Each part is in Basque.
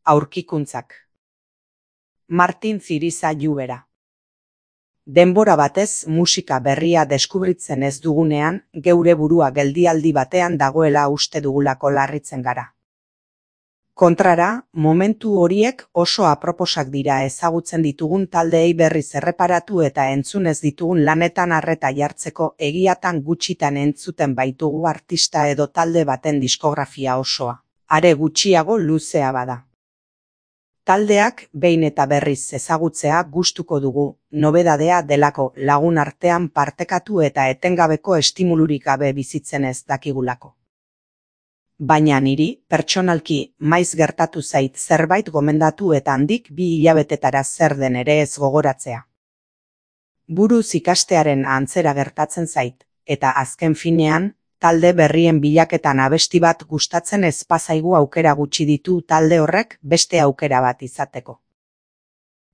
Aurkikuntzak. Martin Ziriza Lluvera. Denbora batez musika berria deskubritzen ez dugunean, geure burua geldialdi batean dagoela uste dugulako larritzen gara. Kontrara, momentu horiek oso aproposak dira ezagutzen ditugun taldeei berriz erreparatu eta entzun ez ditugun lanetan arreta jartzeko, egiatan gutxitan entzuten baitugu artista edo talde baten diskografia osoa, are gutxiago luzea bada. Taldeak behin eta berriz ezagutzea gustuko dugu, nobedadea delako, lagun artean partekatu eta etengabeko estimulurik gabe bizitzen ez dakigulako. Baina niri, pertsonalki, maiz gertatu zait zerbait gomendatu eta handik 2 hilabetetara zer den ere ez gogoratzea. Buruz ikastearen antzera gertatzen zait, eta azken finean, talde berrien bilaketan abesti bat gustatzen ez bazaigu aukera gutxi ditu talde horrek beste aukera bat izateko.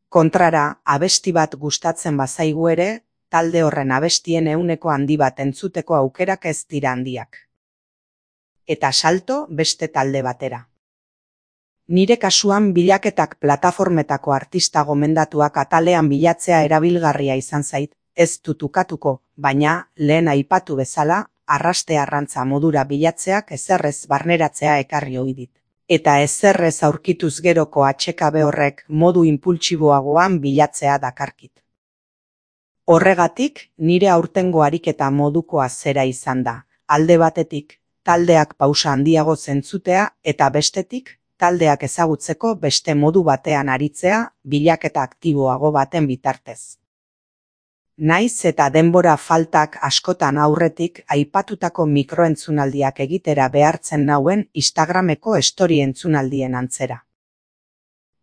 Kontrara, abesti bat gustatzen bazaigu ere, talde horren abestien 100% handi bat entzuteko aukerak ez dira handiak. Eta salto beste talde batera. Nire kasuan bilaketak plataformetako artista gomendatuak atalean bilatzea erabilgarria izan zait, ez dut ukatuko, baina lehen aipatu bezala, arraste arrantza modura bilatzeak ezerrez barneratzea ekarri ohi dit. Eta ezerrez aurkituz geroko atsekabe horrek modu inpultsiboagoan bilatzea dakarkit. Horregatik, nire aurtengo ariketa modukoa zera izan da, alde batetik, taldeak pausa handiago zentzutea eta bestetik, taldeak ezagutzeko beste modu batean aritzea bilaketa aktiboago baten bitartez. Naiz eta denbora faltak askotan aurretik aipatutako mikroentzunaldiak egitera behartzen nauen Instagrameko story entzunaldien antzera.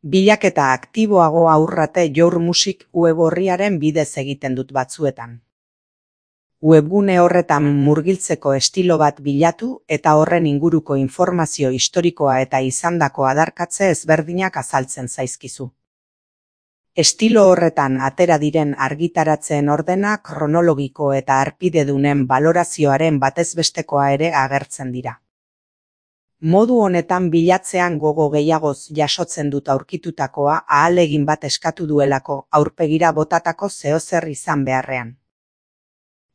Bilaketa aktiboago aurrate Your Music web orriaren bidez egiten dut batzuetan. Webgune horretan murgiltzeko estilo bat bilatu eta horren inguruko informazio historikoa eta izandako adarkatze ezberdinak azaltzen zaizkizu. Estilo horretan atera diren argitaratzeen ordena kronologiko eta harpidedunen balorazioaren batezbestekoa ere agertzen dira. Modu honetan bilatzean gogo gehiagoz jasotzen dut aurkitutakoa ahalegin bat eskatu duelako aurpegira botatako zeozer izan beharrean.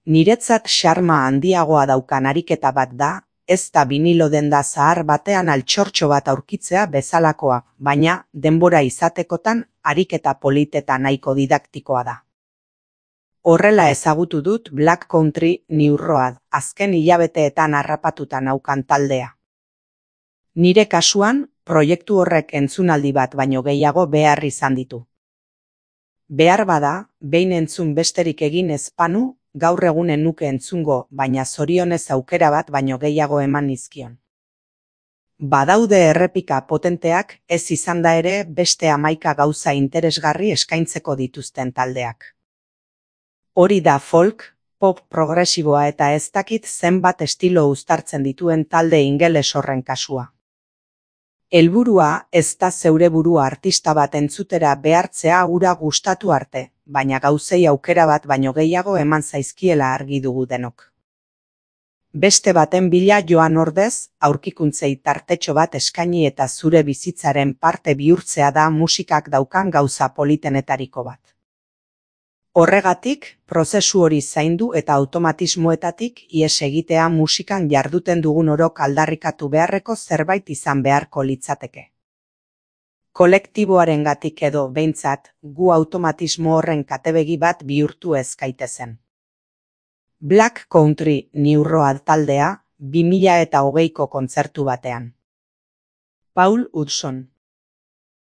Niretzat xarma handiagoa daukan ariketa bat da, ez da vinilo denda zahar batean altxortxo bat aurkitzea bezalakoa, baina denbora izatekotan ariketa politeta nahiko didaktikoa da. Horrela ezagutu dut Black Country New Road, azken hilabeteetan harrapatuta naukan taldea. Nire kasuan, proiektu horrek entzunaldi bat baino gehiago behar izan ditu. Behar bada, behin entzun besterik egin ez banu, gaur egunen nuke entzungo, baina zorionez aukera bat baino gehiago eman nizkion. Badaude errepika potenteak ez izan da ere beste 11 gauza interesgarri eskaintzeko dituzten taldeak. Hori da folk, pop progresiboa eta ez dakit zenbat estilo uztartzen dituen talde ingeles horren kasua. Helburua ez da zeure burua artista bat entzutera behartzea hura gustatu arte, baina gauzei aukera bat baino gehiago eman zaizkiela argi dugu denok. Beste baten bila joan ordez, aurkikuntzei tartetxo bat eskaini eta zure bizitzaren parte bihurtzea da musikak daukan gauza politenetariko bat. Horregatik, prozesu hori zaindu eta automatismoetatik ihes egitea musikan jarduten dugun orok aldarrikatu beharreko zerbait izan beharko litzateke. Kolektiboarengatik edo behintzat, gu automatismo horren katebegi bat bihurtu ez gaitezen. Black Country New Road taldea 2020ko kontzertu batean. Paul Hudson.